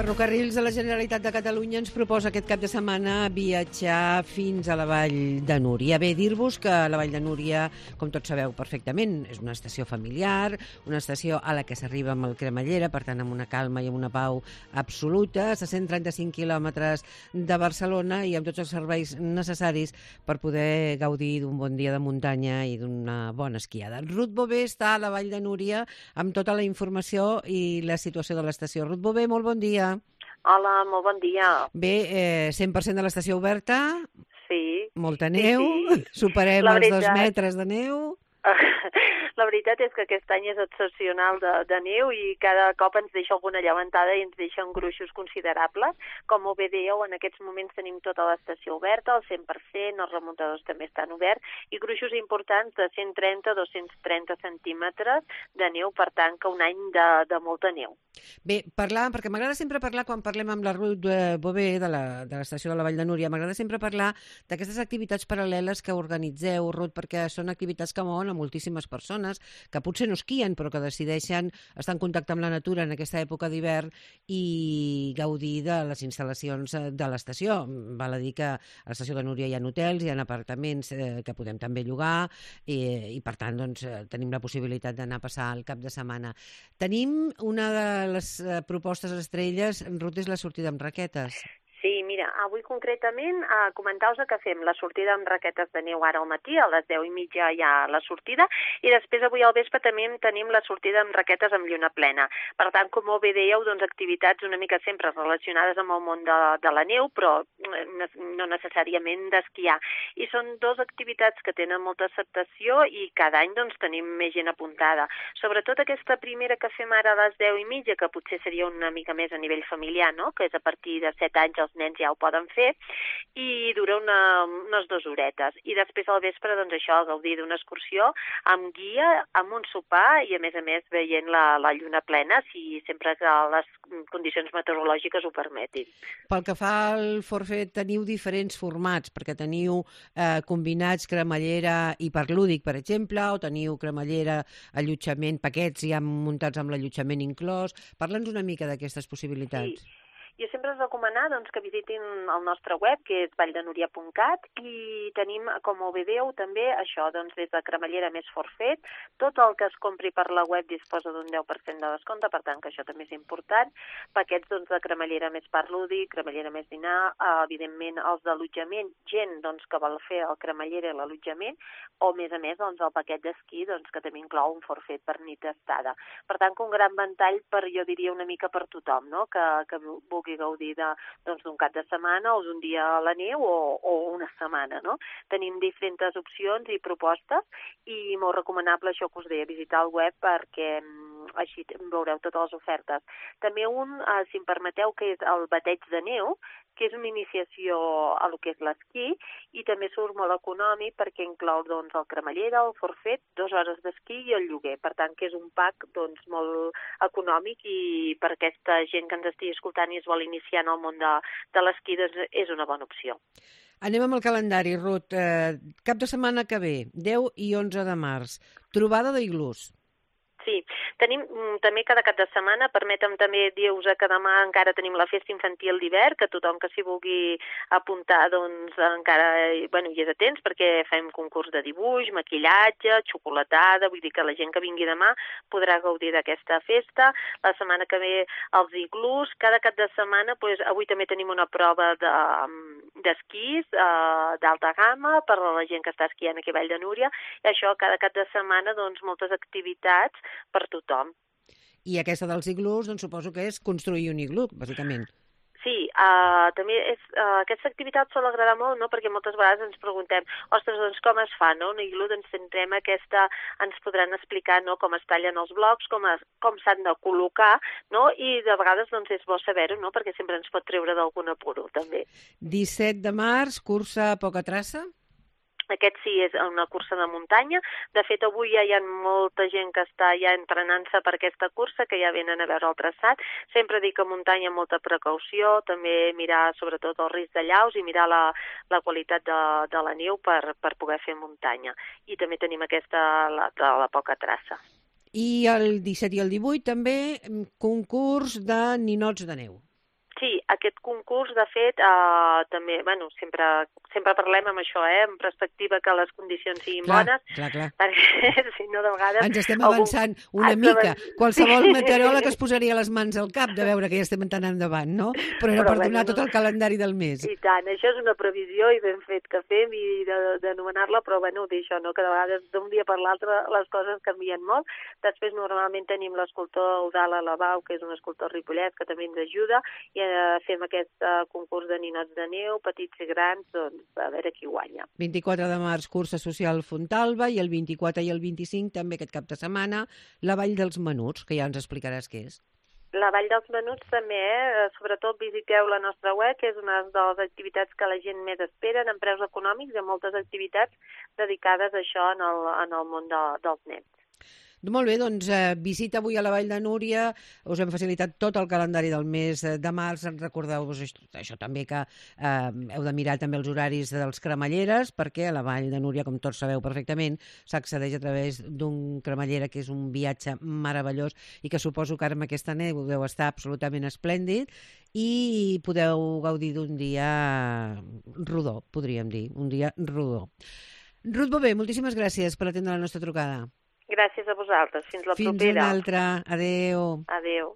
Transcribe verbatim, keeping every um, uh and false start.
Ferrocarrils de la Generalitat de Catalunya ens proposa aquest cap de setmana viatjar fins a la Vall de Núria. Bé, dir-vos que la Vall de Núria, com tots sabeu perfectament, és una estació familiar, una estació a la que s'arriba amb el cremallera, per tant, amb una calma i amb una pau absoluta, a cent trenta-cinc quilòmetres de Barcelona i amb tots els serveis necessaris per poder gaudir d'un bon dia de muntanya i d'una bona esquiada. Ruth Bové està a la Vall de Núria amb tota la informació i la situació de l'estació. Ruth Bové, molt bon dia. Hola, molt bon dia. Bé, eh, cent per cent de l'estació oberta. Sí. Molta neu. Sí, sí. Superem La els veritat... dos metres de neu. La veritat és que aquest any és excepcional de, de neu i cada cop ens deixa alguna llevantada i ens deixen gruixos considerables. Com bé dèieu, en aquests moments tenim tota l'estació oberta, al cent per cent, els remuntadors també estan oberts, i gruixos importants de cent trenta a dos-cents trenta centímetres de neu, per tant, que un any de, de molta neu. Bé, parlar, perquè m'agrada sempre parlar, quan parlem amb la Ruth Bové de l'estació de la Vall de Núria, m'agrada sempre parlar d'aquestes activitats paral·leles que organitzeu, Ruth, perquè són activitats que mouen a moltíssimes persones, que potser no esquien, però que decideixen estar en contacte amb la natura en aquesta època d'hivern i gaudir de les instal·lacions de l'estació. Val a dir que a l'estació de Núria hi ha hotels, hi ha apartaments eh, que podem també llogar i, i per tant, doncs, tenim la possibilitat d'anar a passar el cap de setmana. Tenim una de les propostes estrelles, Ruth, és la sortida amb raquetes. Sí, mira, avui concretament eh, comentar-vos que fem la sortida amb raquetes de neu ara al matí, a les deu i mitja hi ha la sortida, i després avui al vespre també tenim la sortida amb raquetes amb lluna plena. Per tant, com bé dèieu, doncs activitats una mica sempre relacionades amb el món de, de la neu, però no necessàriament d'esquiar. I són dues activitats que tenen molta acceptació i cada any doncs tenim més gent apuntada. Sobretot aquesta primera que fem ara a les deu i mitja, que potser seria una mica més a nivell familiar, no?, que és a partir de set anys els nens ja ho poden fer, i dura una, unes dues horetes. I després al vespre, doncs això, gaudir d'una excursió amb guia, amb un sopar i, a més a més, veient la, la lluna plena, si sempre que les condicions meteorològiques ho permetin. Pel que fa al forfet, teniu diferents formats, perquè teniu eh, combinats cremallera i parc lúdic, per exemple, o teniu cremallera, allotjament, paquets ja muntats amb l'allotjament inclòs. Parla'ns una mica d'aquestes possibilitats. Sí. Jo sempre us recomanar doncs, que visitin el nostre web, que és valldenuria punt cat, i tenim, com ho veieu, també això, doncs, des de cremallera més forfet. Tot el que es compri per la web disposa d'un deu per cent de descompte, per tant, que això també és important. Paquets doncs, de cremallera més parc lúdic, cremallera més dinar, eh, evidentment els d'allotjament, gent doncs, que vol fer el cremallera i l'allotjament, o, a més a més, doncs, el paquet d'esquí, doncs, que també inclou un forfet per nit estada. Per tant, que un gran ventall per, jo diria, una mica per tothom, no?, que, que vulgui gaudir d'un doncs, cap de setmana o d'un dia a la neu o, o una setmana, no? Tenim diferents opcions i propostes i molt recomanable això que us deia, visitar el web perquè així veureu totes les ofertes. També un, eh, si em permeteu, que és el bateig de neu, que és una iniciació a lo que és l'esquí i també surt molt econòmic perquè inclou doncs, el cremallera, el forfet, dues hores d'esquí i el lloguer. Per tant, que és un pack doncs, molt econòmic i per aquesta gent que ens estigui escoltant i es vol iniciar en el món de, de l'esquí doncs, és una bona opció. Anem amb el calendari, Ruth. Eh, cap de setmana que ve, deu i onze de març, trobada d'iglús. Sí, tenim també cada cap de setmana, permetem també dir-vos que demà encara tenim la festa infantil d'hivern, que tothom que s'hi vulgui apuntar doncs encara bueno, hi és a temps perquè fem concurs de dibuix, maquillatge, xocolatada, vull dir que la gent que vingui demà podrà gaudir d'aquesta festa. La setmana que ve els iglús, cada cap de setmana, doncs, avui també tenim una prova de, d'esquís eh, d'alta gamma per a la gent que està esquiant aquí a Vall de Núria, i això cada cap de setmana doncs moltes activitats per tothom. I aquesta dels iglús, doncs suposo que és construir un iglú, bàsicament. Sí, uh, també és, uh, aquesta activitat sol agradar molt, no?, perquè moltes vegades ens preguntem, ostres, doncs com es fa, no?, un iglú, doncs tindrem aquesta, ens podran explicar, no?, com es tallen els blocs, com, es, com s'han de col·locar, no?, i de vegades, doncs, és bo saber-ho, no?, perquè sempre ens pot treure d'algun apuro, també. disset de març, cursa a poca traça? Aquest sí és una cursa de muntanya. De fet, avui ja hi ha molta gent que està ja entrenant-se per aquesta cursa, que ja venen a veure el traçat. Sempre dic que muntanya amb molta precaució, també mirar sobretot el risc de llaus i mirar la, la qualitat de, de la neu per, per poder fer muntanya. I també tenim aquesta, la, de la poca traça. I el disset i el divuit també concurs de ninots de neu. Sí, aquest concurs, de fet, eh, també, bueno, sempre, sempre parlem amb això, eh, en perspectiva que les condicions siguin clar, bones, clar, clar. perquè si no, de vegades... Ens estem algun... avançant una Ens mica. avan... Qualsevol sí. meteoròleg es posaria les mans al cap de veure que ja estem anant endavant, no? Però era Però, per donar bueno, tot el calendari del mes. I tant, això és una previsió i ben fet que fem i d'anomenar-la, però bueno, d'això, no? Que de vegades d'un dia per l'altre les coses canvien molt. Després normalment tenim l'escultor Eudald Alabau, que és un escultor ripollès que també ens ajuda, i eh, fem aquest uh, concurs de ninots de neu, petits i grans, doncs a veure qui guanya. vint-i-quatre de març, cursa social Fontalba, i el vint-i-quatre i el vint-i-cinc, també aquest cap de setmana, la Vall dels Menuts, que ja ens explicaràs què és. La Vall dels Menuts també, eh? Sobretot visiteu la nostra web, que és una de les activitats que la gent més espera en preus econòmics. Hi ha moltes activitats dedicades a això en el, en el món de, dels nens. Molt bé, doncs eh, visita avui a la Vall de Núria, us hem facilitat tot el calendari del mes de març, recordeu-vos això, això també que eh, heu de mirar també els horaris dels cremalleres, perquè a la Vall de Núria, com tots sabeu perfectament, s'accedeix a través d'un cremallera que és un viatge meravellós i que suposo que ara amb aquesta neu deu estar absolutament esplèndid i podeu gaudir d'un dia rodó, podríem dir, un dia rodó. Ruth Bové, moltíssimes gràcies per atendre la nostra trucada. Gràcies a vosaltres. Fins la Fins propera. Fins una altra. Adéu. Adéu.